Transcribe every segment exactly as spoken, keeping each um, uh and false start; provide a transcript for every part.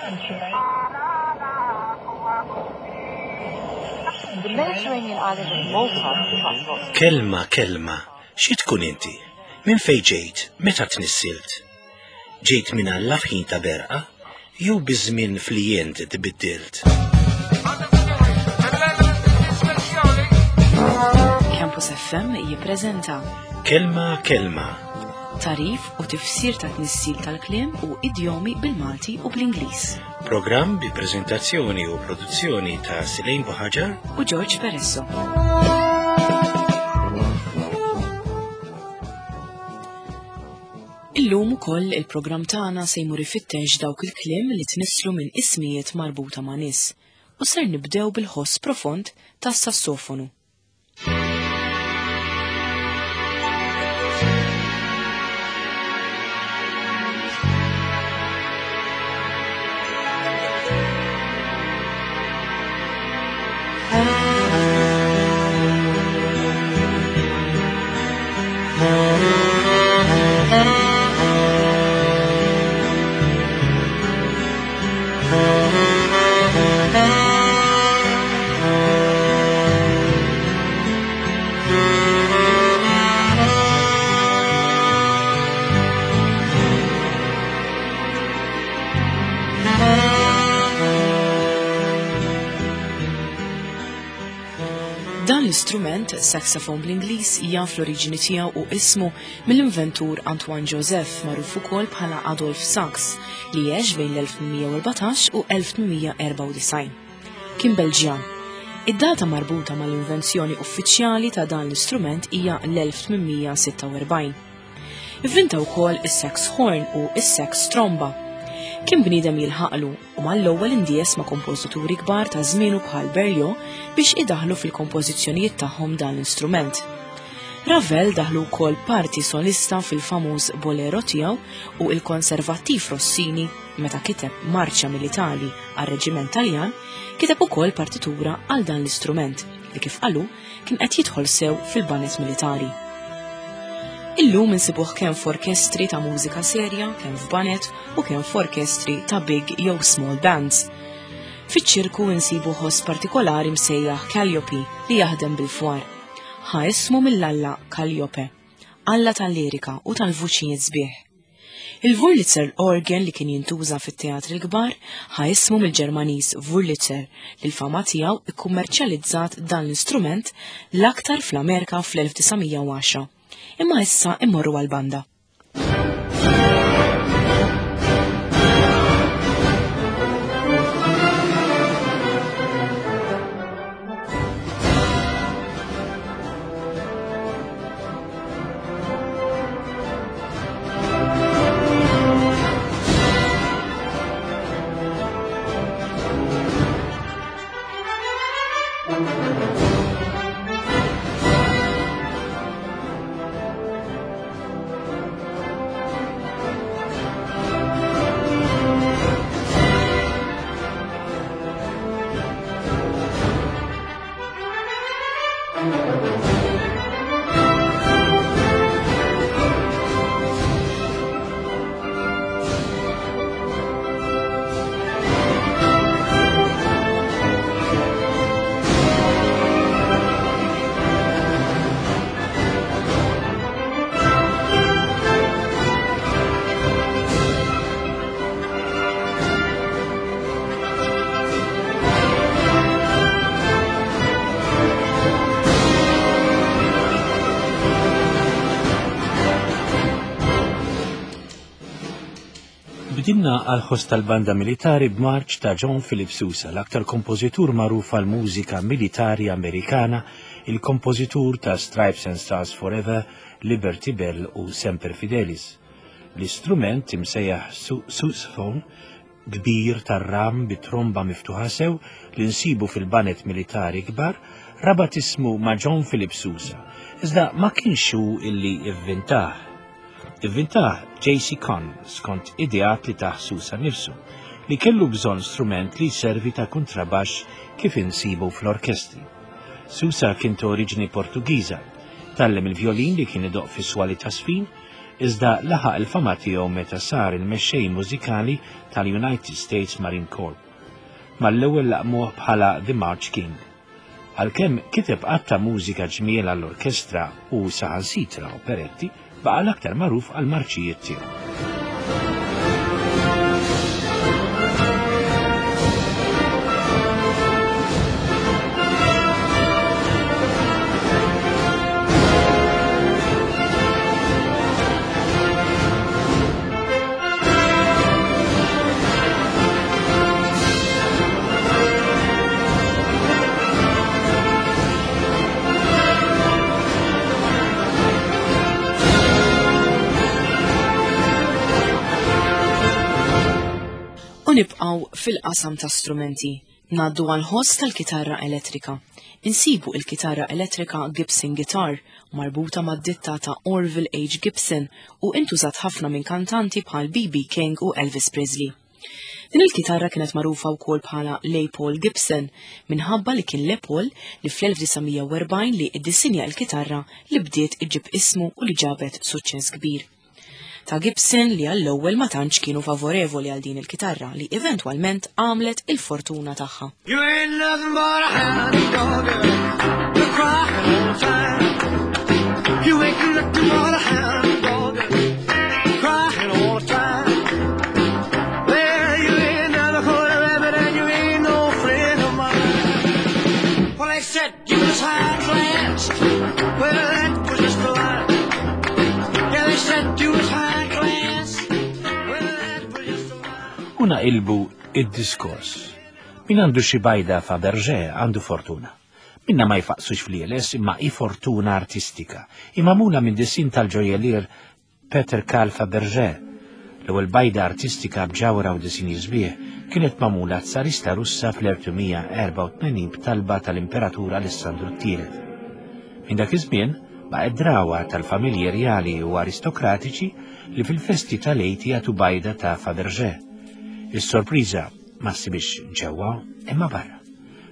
The Mediterranean island of Malta attracts lots Kelma, kelma, xi tkun inti? Minn fejn ġejt? Meta tnissilt? Ġejt minn Alla f'ħin ta' berqa? Jew biż-żmien flijent tbiddilt? Campus F M jippreżenta Kelma, kelma, tagħrif u tifsir ta' tnissil tal-kliem u idjomi bil-Malti u bl-Ingliż. Programm bi preżentazzjoni u produzzjoni ta' Silejn Buħaġar u George Peresso. Illum ukoll il-programm tagħna se jmur ifittex dawk il-kliem li tnisslu minn ismijiet marbuta ma' nies u ser nibdew bil-ħoss profond tas-sassofonu. Dan l-istrument, saxophone bl-Ingliż, jaf l-oriġini tiegħu u ismu mill-inventur Antoine Joseph, magħruf ukoll bħala Adolf Sax, li għex bejn l-elf tmien mija u erbatax u elf tmien mija u erbgħa u disgħin. Kien Belġjan. Id-data marbuta mal-invenzjoni uffiċjali ta' dan l-istrument hija l-elf tmien mija u sitta u erbgħin. Ivvinta wkoll is-sax horn u is-sax tromba. Kien bniedem jilħaqlu u mal-ewwel indies ma' kompożituri kbar ta' żmienu bħal Berlioz biex idaħlu fil-kompożizzjonijiet tagħhom dan l-istrument. Ravel daħlu wkoll parti solista fil-famuż Bolero tiegħu u il-konservattiv Rossini, meta kiteb marċa militari għar-reġiment Taljan, kiteb ukoll partitura għal dan l-istrument li, kif qalu, kien qed jidħol sew fil-baned militari. Illum insibuh kemm f'orkestri ta' mużika serja, kemm f'baned u kemm f'orkestri ta' big jew small bands. Fiċ-ċirku insibu ħoss partikolari msejjaħ Calliope li jaħdem bil-fwar. Ħa ismu mill-alla Calliope, alla tal-lirika u tal-vuċijiet sbieħ. Il-Wurlitzer organ li kien jintuża fit-teatri l-kbar ħa ismu mill-Ġermaniż Wurlitzer, li l-fama tiegħu ikkummerċjalizzat dan l-istrument l-aktar fl-Amerika fl-elf disa' mija u għaxra. Imma issa immorru għal-banda. Bdilna għal-ħoss tal-banda militari b'marċ ta' John Philip Sousa, l-aktar kompożitur magħruf għal mużika militari Amerikana, il-kompożitur ta' Stripes and Stars Forever, Liberty Bell u Semper Fidelis. L-istrument imsejjaħ sousaphone, kbir tar-ram bi tromba miftuħa sew li nsibu fil-baned militari kbar, rabat ismu ma' John Philip Sousa, iżda ma kienx hu illi ivvintah. Ivvintah J C. Conn skont ideat li tah Sousa nifsu, li kellu bżonn strument li servi ta' kontrabax kif insibu fl-orkestri. Sousa kien ta' oriġini Portugiża, tgħallem il-violin li kien idoq fi swali ta' sfin, Iżda laħaq il-fama tiegħu meta sar il-mexxej mużikali tal-United States Marine Corps. Mal-ewwel laqmuh bħala The March King. Għalkemm kiteb għadd ta' mużika ġmiel għall-orkestra u saħansitra operetti, baqa' l-aktar magħruf għall-marċijiet tiegħu. U nibqgħu fil-qasam ta' strumenti, ngħaddu għal ħoss tal-kitarra elettrika. Insibu il-kitarra elettrika Gibson Guitar, marbuta mad-ditta ta' Orville H. Gibson u intużat ħafna minn kantanti bħal B B. King u Elvis Presley. Din il-kitarra kienet magħrufa wkoll bħala Les Paul Gibson minħabba li kien Les Paul li fl-elf disa' mija u erbgħin li iddisinja l-kitarra li bdiet iġib ismu u li ġabet suċċess kbir. Ta' Gibson li għall-ewwel ma tantx kienu favorevoli għal din il-kitarra li eventwalment għamlet il-fortuna tagħha. You ain't nothing but a hound dog, you're crying all the time. You ain't nothing but a hound dog, crying all the time. Well, you ain't never caught a rabbit and you ain't no friend of mine. Well, they said you was high class. Well, that was just a lie. Yeah, they said you was high class. Well, that was just a lie. U naqilbu id-diskors. Min għandu xi bajda Fabergé għandu fortuna. Minna ma jfaqsux fl-jeles imma i fortuna artistika. Magħmula minn disin tal-ġojjelier Peter Carl Fabergé. L-ewwel bajda artistika b'ġawra u disin sbieħ kienet magħmula tsarista Russa fl-elf tmien mija u erbgħa u tmenin b'talba tal-Imperatur Alessandru t-Tielet. Minn dak iż-żmien baqgħet drawa tal-familji rjali u aristokratiċi li fil-festi tal-Għid jagħtu bajda ta' Fabergé. Is-sorpriża ma ssibix ġewwa imma barra.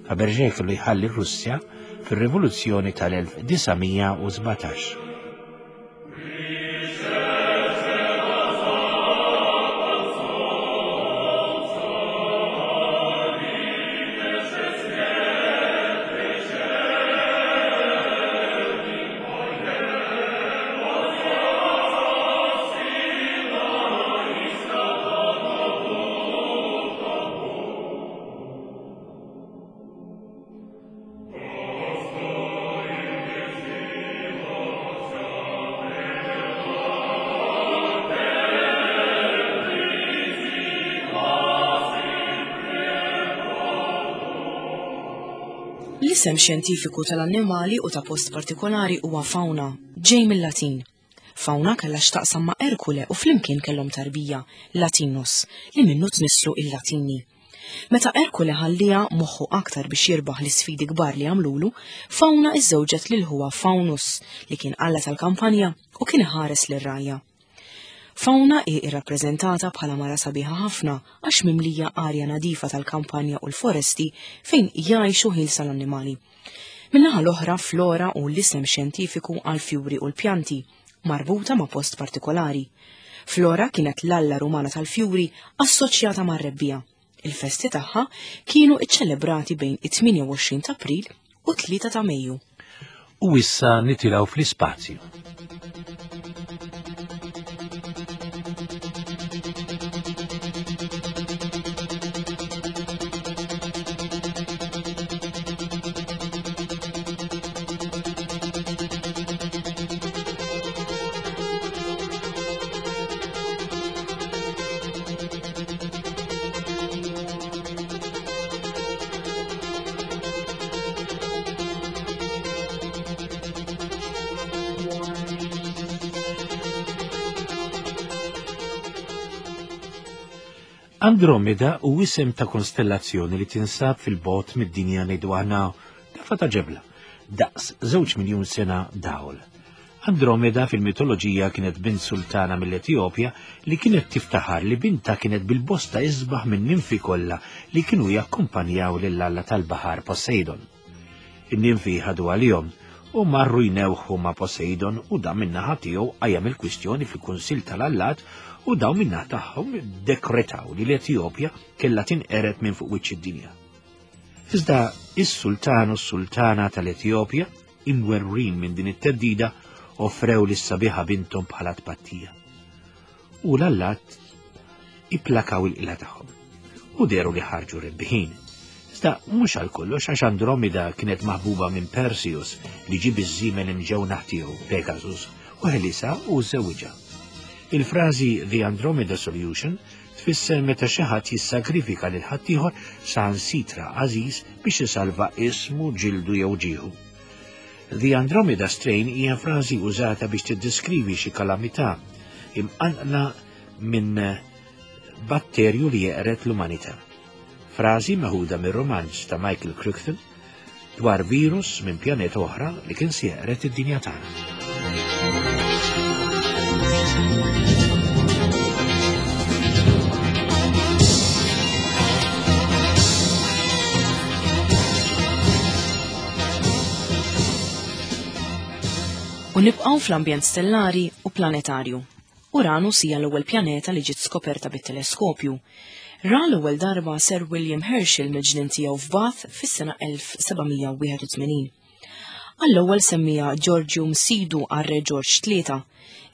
Fabergé kellu jħalli r-Russja fir-Rivoluzzjoni tal-elf disa' mija u sbatax. L-isem xjentifiku tal-annimali u ta' post partikolari huwa fauna, ġej mill-Latin. Fauna kellha x'taqsam ma' Erkule u flimkien kellhom tarbija, Latinus, li minnu tnisslu il-Latini. Meta Erkule ħallija moħħu aktar biex jirbaħ l-isfidi kbar li għamlulu, Fauna iżżewġet lil ħuha Faunus li kien alla tal-kampanja u kien ħares lir-rgħajja. Fauna hi irrappreżentata bħala mara sabiħa ħafna għax mimlija arja nadifa tal-kampanja u l-foresti fejn jgħixu ħielsa l-annimali. Min-naħa l-oħra, flora hu l-isem xjentifiku għal fjuri u l-pjanti, marbuta ma' post partikolari. Flora kienet l-alla rumana tal-fjuri assoċjata mar-rebbiegħa. Il-festi tagħha kienu iċċelebrati bejn it-tmienja u għoxrin ta' April u tlieta ta' Mejju. U issa nitilgħu fl-ispazju. Andromeda hu isem ta' konstellazzjoni li tinsab fil-bogħod mid-dinja, ngħidu aħna dafa ta' ġebla, daqs żewġ miljun sena dawl. Andromeda fil-mitoloġija kienet bint sultana mill-Etjopja li kienet tiftaħar li binta kienet bil-bosta isbaħ minn ninfi kollha li kienu jakkumpanjaw lill-alla tal-baħar Poseidon. In-ninfi ħadu għalihom u marru jnewħu ma' Poseidon u dan min-naħa tiegħu qajjem il-kwistjoni fil-Kunsill tal-Allat u dawn min-naħa tagħhom dekretaw li l-Etjopja kellha tinqered minn fuq wiċċ id-dinja. Iżda is-sultan u s-sultana tal-Etjopja, imwerwrin minn din it-theddida, offrew lis-sabiħa binthom bħala tpattija. U l-allat ipplakaw il-qilla tagħhom u dehru li ħarġu rebbiħin. Iżda mhux għal kollox, għax Andromeda kienet maħbuba minn Perseus li ġie biż-żiemel imġewnaħ tiegħu Pegasus u ħelisha u żewġha. Il-frażi The Andromeda Solution tfisser meta xi ħadd jissagrifika lil ħaddieħor saħansitra għażiż biex isalva ismu, ġildu jew ġieħu. The Andromeda Strain hija frażi użata biex tiddeskrivi xi kalamità imqanqla minn batterju li jeqred l-umanità. Frażi meħuda mir-romanz ta' Michael Crichton dwar virus minn pjaneta oħra li kien se jeqred id-dinja tagħna. U nibqgħu fl-ambjent stellari u planetarju. Uranus hija l-ewwel pjaneta li ġiet skoperta bit-teleskopju. Ra l-ewwel darba Sir William Herschel mill-ġnien tiegħu f'Bath fis-sena elf seba' mija wieħed u tmenin. Għall-ewwel semmija Georgium Sidu għar-Re George tlieta,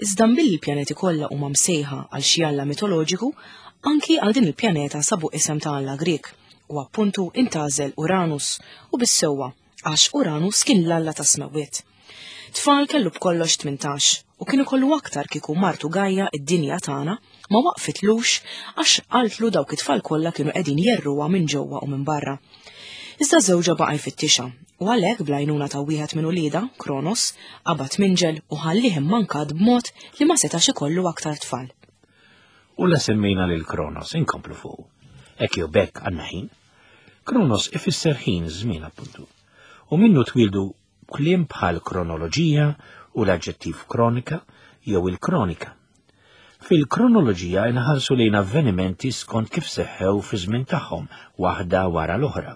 iżda billi l-pjaneti kollha huma msejħa għal xi alla mitoloġiku, anki għal din il-pjaneta sabu isem ta' alla Grek u appuntu intgħażel Uranus u bis-sewwa għax Uranus kien l-alla tas-smewwiet. Tfal kellu b'kollox tmintax u kienu kollu aktar kieku martu Gaia id-dinja tagħna ma waqfitlux għax qaltlu dawk it-tfal kollha kienu qegħdin jerruha minn ġewwa u minn barra. Iżda żewġha baqa' jfittixha u għalhekk bl-għajnuna ta' wieħed minn uliedha, Kronos, qabad minġel u ħallih immankat b'mod li ma setax ikollu aktar tfal. U la semmejna lil Kronos inkomplu fuq. Hekk jew bekk għandna ħin. Kronos ifisser ħin, żmien appuntu. U minnu twildu kliem bħal kronoloġija u l-aġġettiv kronika jew il-kronika. Fil-kronoloġija inħarsu lejn avvenimenti skont kif seħħew fi żmien tagħhom waħda wara l-oħra.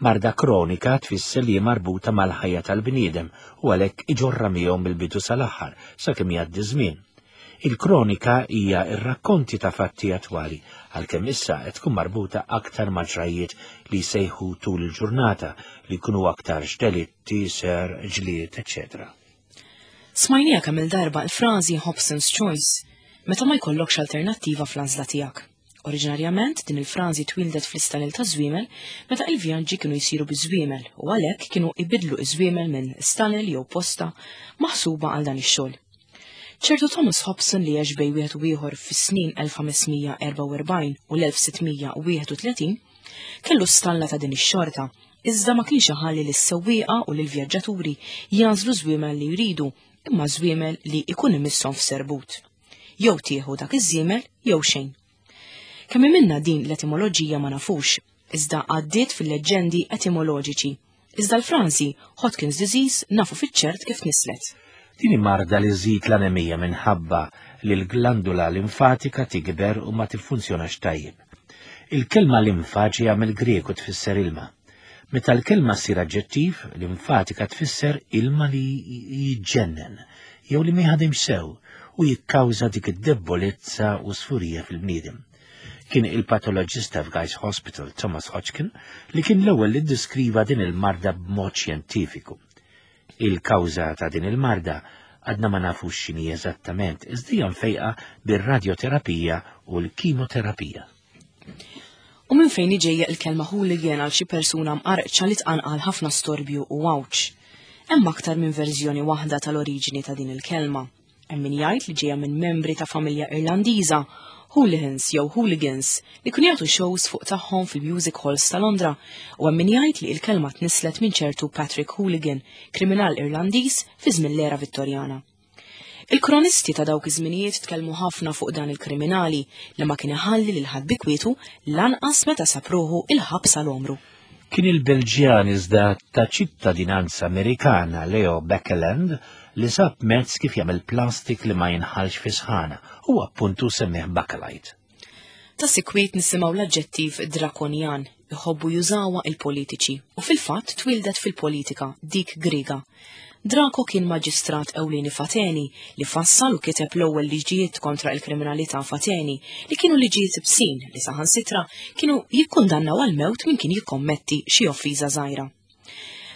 Marda kronika tfisser li marbuta mal-ħajja tal-bniedem u għalhekk iġorra miegħu mill-bidu sal-aħħar sakemm jgħaddi żmien. Il-kronika hija r-rakkonti ta' fatti attwali, għalkemm issa qed tkun marbuta aktar ma' ġrajiet li jsejħu tul il-ġurnata li jkunu aktar delitti, ser, ġlied, eċċetera. Smajnija kemm il-darba l-frażi Hobson's Choice, meta ma jkollokx alternattiva fl-għażla tiegħek. Oriġinarjament din il-frażi twildet fl-istanel ta' żwiemel meta il-vjaġġi kienu jsiru biż-żwiemel u għalhekk kienu ibidlu iż-żwiemel minn stanel jew posta maħsuba għal dan ix-xogħol. Ċertu Thomas Hobson li għex bejn wieħed u ieħor fis-snin elf ħames mija erbgħa u erbgħin u l-elf sitt mija wieħed u tletin kellu stalla ta' din ix-xorta, iżda ma kienx iħalli lis-sewwieqa u lill-vjaġġaturi jagħżlu żwiemel li jridu, imma żwiemel li ikun imisshom f'serbut. Jew tieħu dak iż-żiemel jew xejn. Kemm minna din l-etimoloġija ma nafux, iżda għaddiet fil-leġġendi etimoloġiċi. Iżda l-frażi Hodgkin's disease nafu fiċ-ċert kif nislet. Din marda li żżid l-anemija minħabba li l-glandula limfatika tikber u ma tiffunzjonax tajjeb. Il-kelma limfa ġejja mill-Grek u tfisser ilma. Meta l-kelma ssir aġġettiv, limfatika tfisser ilma li jiġġennen jew li ma jħadimx sew u jikkawża dik id-debolezza u sfurija fil-bniedem. Kien il-patoloġista f'Guy's Hospital Thomas Hodgkin li kien l-ewwel li ddeskriva din il-marda b'mod xjentifiku. Il-kawża ta' din il-marda għadna ma nafux x'inhi eżattament, iżda hija mfejqa bir-radjoterapija u l-kimoterapija. U minn fejn ġejja il-kelma hooligan għal xi persuna mqarqċa li tqanqal ħafna storbju u għawġ. Hemm aktar minn verżjoni waħda tal-oriġini ta' din il-kelma. Hemm min jgħid li ġejja minn membri ta' familja Irlandiża, hooligans jew hooligans, li kienu jagħtu shows fuq tagħhom fil-music halls ta' Londra, u hemm min jgħid li l-kelma tnislet minn ċertu Patrick Hooligan, kriminal Irlandiż fi żmien l-era Vittorjana. Il-kronisti ta' dawk iż-żminijiet tkellmu ħafna fuq dan il-kriminali li ma kien iħalli lil ħadd bi kwietu lanqas meta sab ruħu il-ħabs għal għomru. Kien il-Belġjan iżda ta' ċittadinanza Amerikana Leo Baekeland li sab mezz kif jagħmel plastik li ma jinħalx fi sħana u appuntu semmih Bakelite. Ta' sikwit nisimgħu l-aġġettiv drakonjan, iħobbu jużawha il-politiċi u fil-fatt twildet fil-politika dik Griega. Draco kien maġistrat ewlieni f'Ateni li fassal u kiteb l-ewwel liġijiet kontra l-kriminalità f'Ateni li kienu liġijiet ibsin li saħansitra kienu jikkundannaw għal-mewt min kien jikkommetti xi offiża żgħira.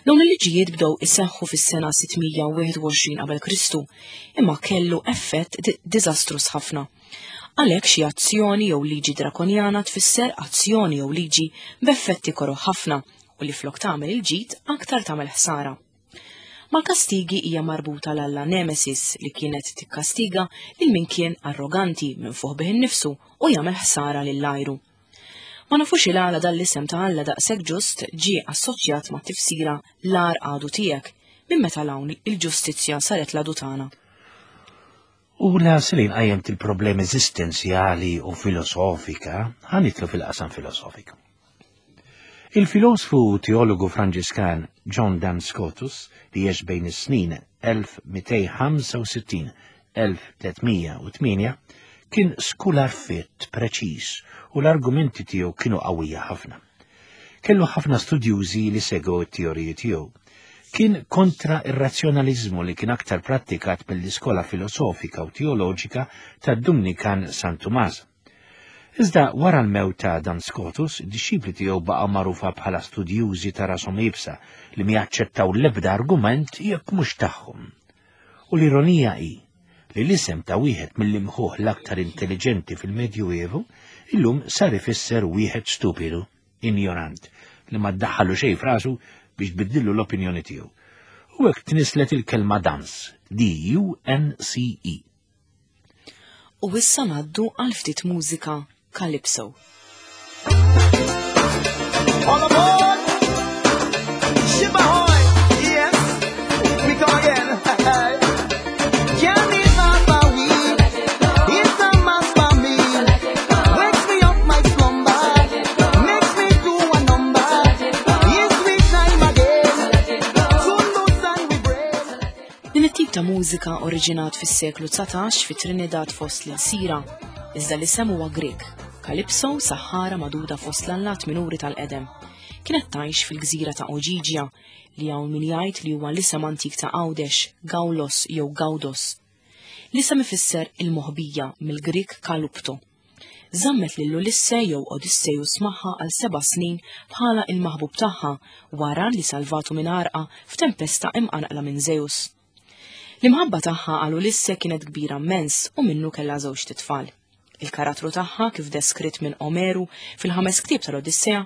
Dawn il-liġijiet bdew iseħħu fis-sena sitt mija u wieħed u għoxrin qabel Kristu, imma kellu effett diżastruż ħafna. Għalhekk xi azzjoni jew liġi drakonjana tfisser azzjoni jew liġi b'effetti koroh ħafna u li flok tagħmel il-ġid aktar tagħmel ħsara. Mal-kastigi hija marbuta l-alla Nemesis li kienet tikkastiga lil min kien arroganti, minfuħ bih innifsu u jagħmel ħsara lill-għajru. Ma nafux il-għala dan l-isem ta' Alla daqshekk ġust ġie assoċjat ma' tifsira l-agħar għadu tiegħek. Minn meta 'l hawn il-ġustizzja saret l-għadu tagħna? U la Selin qajjimt il-problemi eżistenzjali u filosofika, ħa nidħlu fil-qasam filosofiku. Il-filosfu teologu Franġiskan John Duns Scotus, li għex bejn is-snin elf mitejn u ħamsa u sittin-elf tliet mija u tmienja, kien skular fit preċiż u l-argumenti tiegħu kienu qawwija ħafna. Kellu ħafna studjużi li segwew it-teoriji tiegħu. Kien kontra ir-razzjonalizmu li kien aktar prattikat mill-iskola filosofika u teoloġika tad Dumnikan San Tumas. Iżda wara l-mewt ta' Duns Scotus, id-dixxipli tiegħu baqgħu magħrufa bħala studjużi ta' rashom iebsa li ma jaċċettaw l-ebda argument jekk mhux tagħhom. U l-ironija hi li l-isem ta' wieħed mill-imħuħ l-aktar intelligenti fil-Medjuevu illum sar ifisser wieħed stupidu, ignorant, li ma ddaħħalu xejn f'rasu biex tbiddillu l-opinjoni tiegħu. U hekk tnislet il-kelma dunce, D U N C E. U issa ngħaddu għal ftit mużika, Calypso. All aboard! Ship ahoy! Yes, we come again. Can't my weed. It's a must for me. Wakes me up my slumber. Makes me do a number. It's sweet time again. To loosen we brain. Din it-tip ta' mużika oriġinat fis-seklu dsatax fi Trinidad fost l-Sira, iżda l-isem huwa Grek. Calypso, saħħara magħduda fost l-allat minuri tal-qedem. Kienet tgħix fil-gżira ta' Oġiġja, li hawn min jgħid li huwa l-isem antik ta' Għawdex, Gawlos jew Gawdos. L-isem ifisser il-moħbija, mill-Grik kalupto. Żammet lil Ulisse jew Odysseus magħha għal seba' snin bħala il-maħbub tagħha wara li salvatu minn għarqa f'tempesta imqanqla minn Zeus. L-imħabba tagħha għal Ulisse kienet kbira immens u minnu kellha żewġt itfal. Il-karattru tagħha, kif deskritt minn Omeru fil-ħames ktieb tal-Odissea,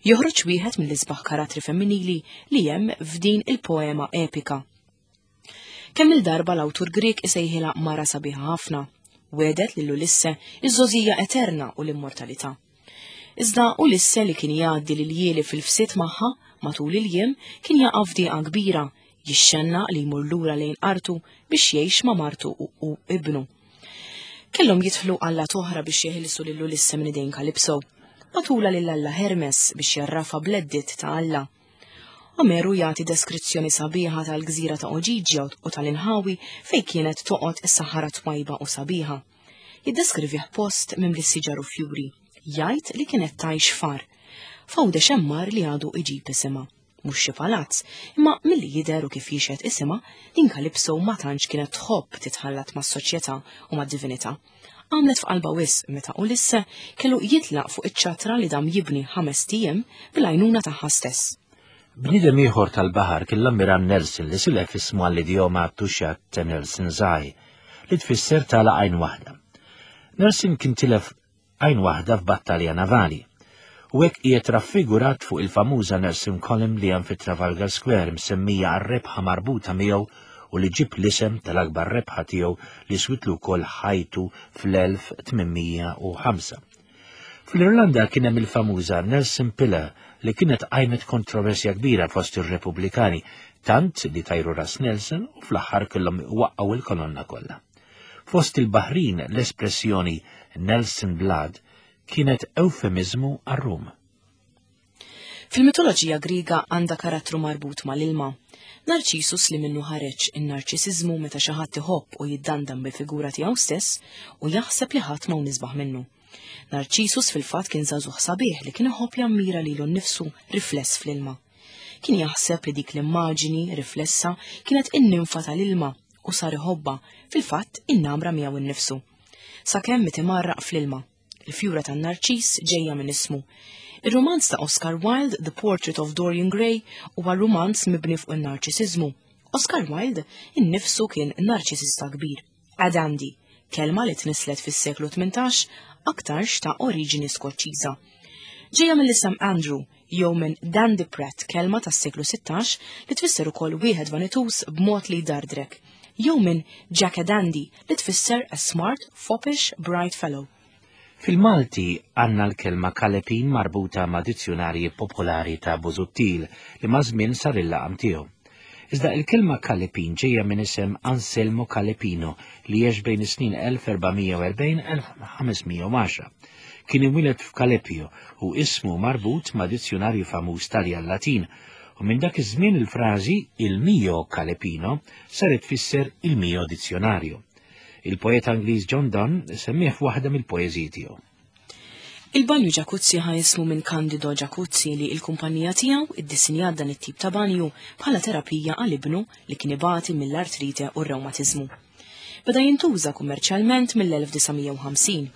joħroġ wieħed mill-isbaħ karattri femminili li hemm f'din il-poema epika. Kemm il-darba l-awtur Grek isejħilha mara sabiħa ħafna, wegħdet lil Ulisse iż-żgħożija eterna u l-immortalità. Iżda Ulisse, li kien jgħaddi l-iljieli fil-fsied magħha, matul il-jiem kien jaqa' f'dieqa kbira, jixxenna li jmur lura lejn artu biex jgħix ma' martu u, u ibnu. Kellhom jidħlu allat oħra biex jeħilsu lil Ulisse minn idejn Kalipso. Bagħtulha lil Alla Hermes biex jgħarrafha bl-eddiet ta' Alla. Omeru jagħti deskrizzjoni sabiħa tal-gżira ta' Oġiġja u tal-inħawi fej kienet toqgħod is-saħħara twajba u sabiħa. Jiddeskrivih post mimli siġar u fjuri. Jgħid li kienet tgħix f'għar. F'Għawdex hemm għar li għadu iġib isimha. Mhux xi palazz, imma milli jidher u kif jixhed isimha, din Kalipso ma tantx kienet tħobb titħallat mas-soċjetà u mad-divinità. Għamlet f'qalba wisq meta Ulisse kellu jitlaq fuq iċ-ċatra li dam jibni ħames ijiem bil-għajnuna tagħha stess. Bniedem ieħor tal-baħar kien l-Ammiral Nelson, li silef ismu għall-idjoma "to shut Nelson's eye", li tfisser tagħlaq għajn waħda. Nelson kien tilef għajn waħda f'battalja navali. U hekk qiegħed raffigurat fuq il-famuża Nelson Column li hemm fi Trafalgar Square, msemmija għar-rebħa marbuta miegħu u li ġib l-isem tal-akbar rebħa tiegħu li switlu wkoll ħajtu fl-elf tmien mija u ħamsa. Fl-Irlanda kien hemm il-famuża Nelson Pillar, li kienet qajmet kontroversja kbira fost ir-Repubblikani, tant li tajru ras Nelson u fl-aħħar kellhom waqqgħu il-kolonna kollha. Fost il-Baħrin l-espressjoni "Nelson Blood" kienet eufemizmu għar-rum. Fil-mitoloġija Griega għandha karattru marbut mal-ilma. Narċisus, li minnu ħareġ in-narċisizmu, meta xi ħadd iħobb u jiddandan bil-figura tiegħu stess u jaħseb li ħadd ma isbaħ minnu. Narċisus fil-fatt kien żagħżugħ sabiħ li kien iħobb jammira lilu nnifsu rifless fl-ilma. Kien jaħseb li dik l-immaġini riflessa kienet in-ninfa tal-ilma u sar iħobbha, fil-fatt innamra miegħu nnifsu. Sakemm miet imgħarraq fl-ilma. Il-fjura tan-narċis ġejja minn ismu. Ir-rumanz ta' Oscar Wilde, The Portrait of Dorian Gray, huwa rumanz mibni fuq in-narċisiżmu. Oscar Wilde innifsu kien narċisista kbir. A dandy, kelma li tnislet fis-seklu tmintax, aktarx ta' oriġini Skoċċiża. Ġejja mill-isem Andrew, jew minn Dandy Pratt, kelma tas-seklu sittax li tfisser ukoll wieħed vanituż b'mod li jdardrek, jew minn Jack a Dandy li tfisser a smart, foppish, bright fellow. Fil-Malti għandna l-kelma kalepin marbuta ma' dizzjonarji popolari ta' Busuttil li ma' żmien sar il-laqam tiegħu. Iżda il-kelma kalepin ġejja minn isem Anselmo Calepino li għex bejn is-snin elf erba' mija u erbgħin elf ħames mija u għaxra. Kien imwieled f'Calepio u ismu marbut ma' dizzjonarju famuż Taljan Latin, u minn dak iż-żmien il-frażi il mio Calepino saret tfisser il mio dizzjonarju. Il-poeta Ingliż John Donne semmih f'waħda mill-poeżiji tiegħu. Il-banju Jacuzzi ħa jismu minn Candido Jacuzzi li il-kumpanija tiegħu iddisinjat dan it-tip ta' banju bħala terapija għal ibnu li kien ibati mill-artrite u r-rewmatiżmu. Beda jintuża kummerċjalment mill-elf disa' mija u ħamsin.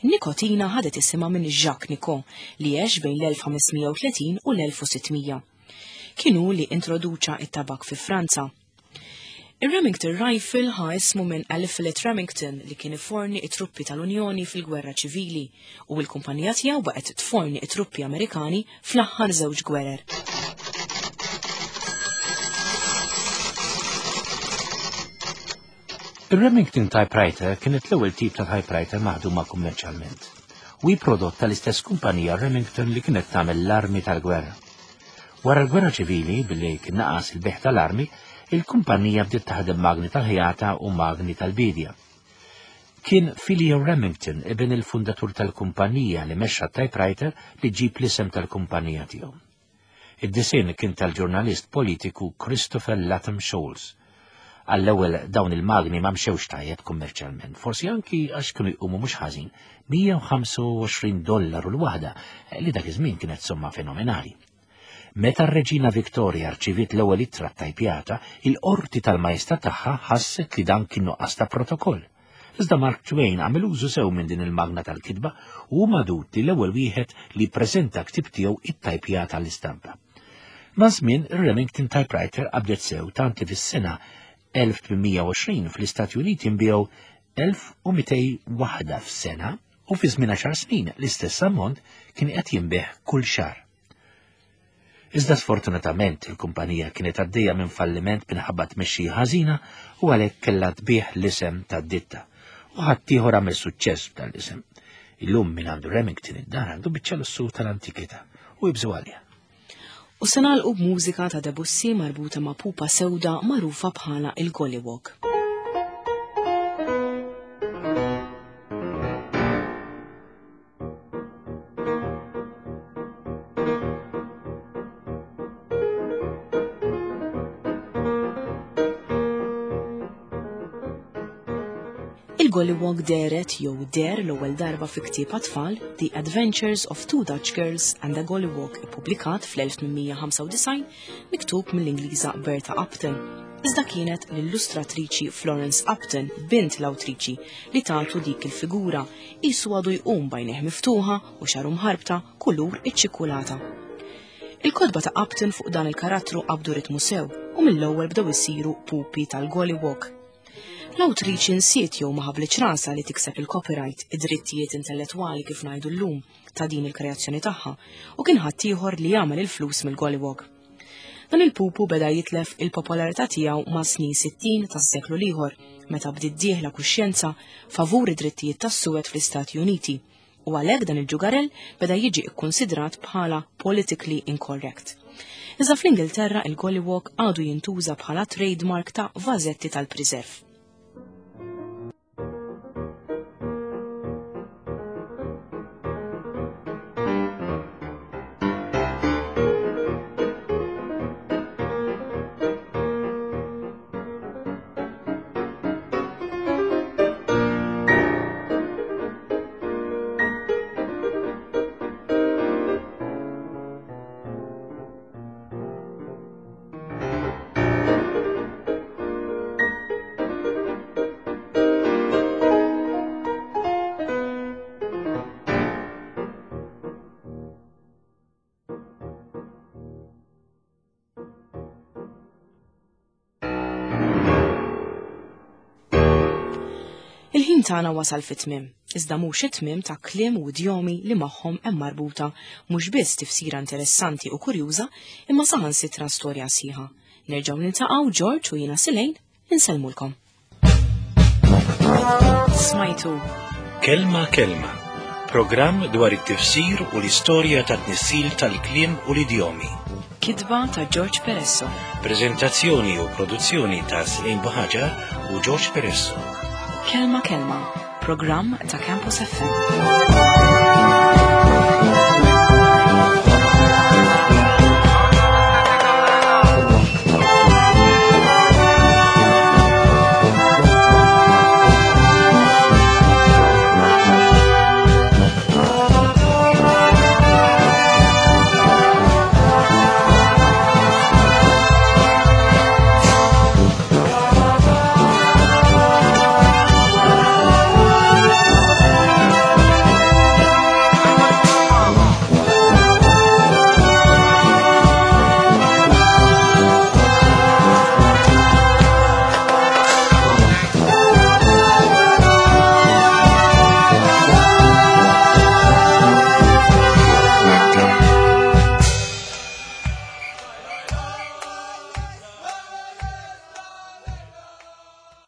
Nikotina ħadet isimha minn Jacques Nicot li għex bejn l-elf ħames mija u tletin u l-elf u sitt mija. Kien hu li introduċa it-tabak fi Franza. Ir-Remington Rifle ħa ismu minn Eliphalet Remington li kien iforni it-truppi tal-Unjoni fil-Gwerra Ċivili u l-kumpanija tiegħu baqgħet tforni it-truppi Amerikani fl-aħħar żewġ gwerer. Ir-Remington Typewriter kienet l-ewwel tip ta' typewriter maħduma kummerċjalment. U hi prodott tal-istess kumpanija Remington li kienet tagħmel l-armi tal-gwerra. Wara l-Gwerra Ċivili, billi kien naqas il-bejgħ tal-armi, il-kumpanija bdiet taħdem magni tal-ħjata u magni tal-bidja. Kien Phileo Remington, ibn il-fundatur tal-kumpanija, li mexxa typewriter li ġib l-isem tal-kumpanija tiegħu. Id-disinn kien tal-ġurnalist politiku Christopher Latham Sholes. Għall-ewwel dawn il-magni ma mxewx tajjeb kummerċjalment, forsi anki għax kienu jqumu mhux ħażin, mija u ħamsa u għoxrin dollaru l-waħda, li dak iż-żmien kienet somma fenomenali. Meta r-Reġina Victoria rċiviet l-ewwel ittra tajpjata, il-qorti tal-majestà tagħha ħasset li dan kien nuqqas ta' protokoll. Iżda Mark Twain għamel użu sew minn din il-magna tal-kitba u hu magħdud li l-ewwel wieħed li ppreżenta ktib tiegħu it-tajpjata l-istampa. Ma' żmien ir-Remington Typewriter qabdet sew tant li fis-sena elf tmien mija u għoxrin fl-Istati Uniti nbiegħu elf u mitej waħda f'sena u fi żmien għaxar snin l-istess ammont kien qed jinbiegħ kull xahar. Iżda sfortunatament il-kumpanija kienet għaddejja minn falliment minħabba tmexxija ħażina u għalhekk kellha tbigħ l-isem tad-ditta. U ħaddieħor għamel suċċess b'dan l-isem. Illum min għandu Remington id-dar għandu biċċa lussu tal-antikità u jibżu għalija. U se nagħlqu b'mużika ta' Debussy marbuta ma' pupa sewda magħrufa bħala il-Gollywog. Il-Gollywog dehret jew der l-ewwel darba fi ktieb għat-tfal The Adventures of Two Dutch Girls and a Gollywog ippubblikat fl-elf tmien mija ħamsa u disgħin miktub mill-Ingliża Bertha Upton. Iżda kienet l-illustratriċi Florence Upton, bint l-awtriċi, li tagħtu dik il-figura qisu għadu jqum b'għajnejh miftuħa u xaru mħarbta kulur iċ-ċikkulata. Il-kotba ta' Upton fuq dan il-karattru qabdu ritmu sew u mill-ewwel bdew isiru pupi tal-Gollywog. L-awtriċi nsiet jew ma ħablitx rasha li tikseb il-copyright, id-drittijiet intellettwali kif ngħidu llum ta' din il-kreazzjoni tagħha, u kien ħaddieħor li jagħmel il-flus mill-Gollywog. Dan il-pupu beda jitlef il-popolarità tiegħu ma' snin sittin tas-seklu l-ieħor, meta bdiet dieħla kuxjenza favur id-drittijiet tas-suwed fl-Istati Uniti, u għalhekk dan il-ġugarell beda jiġi kkunsidrat bħala politically incorrect. Iżda fl-Ingilterra il-Gollywog għadu jintuża bħala trademark ta' vażetti tal-preserve. Il-ħin tagħna wasal fit-tmiem, iżda mhux it-tmiem ta' kliem u idjomi li magħhom hemm marbuta mhux biss tifsira interessanti u kurjuża, imma saħansitra storja sħiħa. Nerġgħu niltaqgħu George u jiena Silejn insellmulkom. Smajtu Kelma Kelma, programm dwar it-tifsir u l-istorja ta' tnissil tal-kliem u l-idjomi. Kitba ta' George Peresso. Prezentazzjoni u produzzjoni ta' Slejn Buħaġar u George Peresso. Kelma Kelma, programm ta' Campus F M.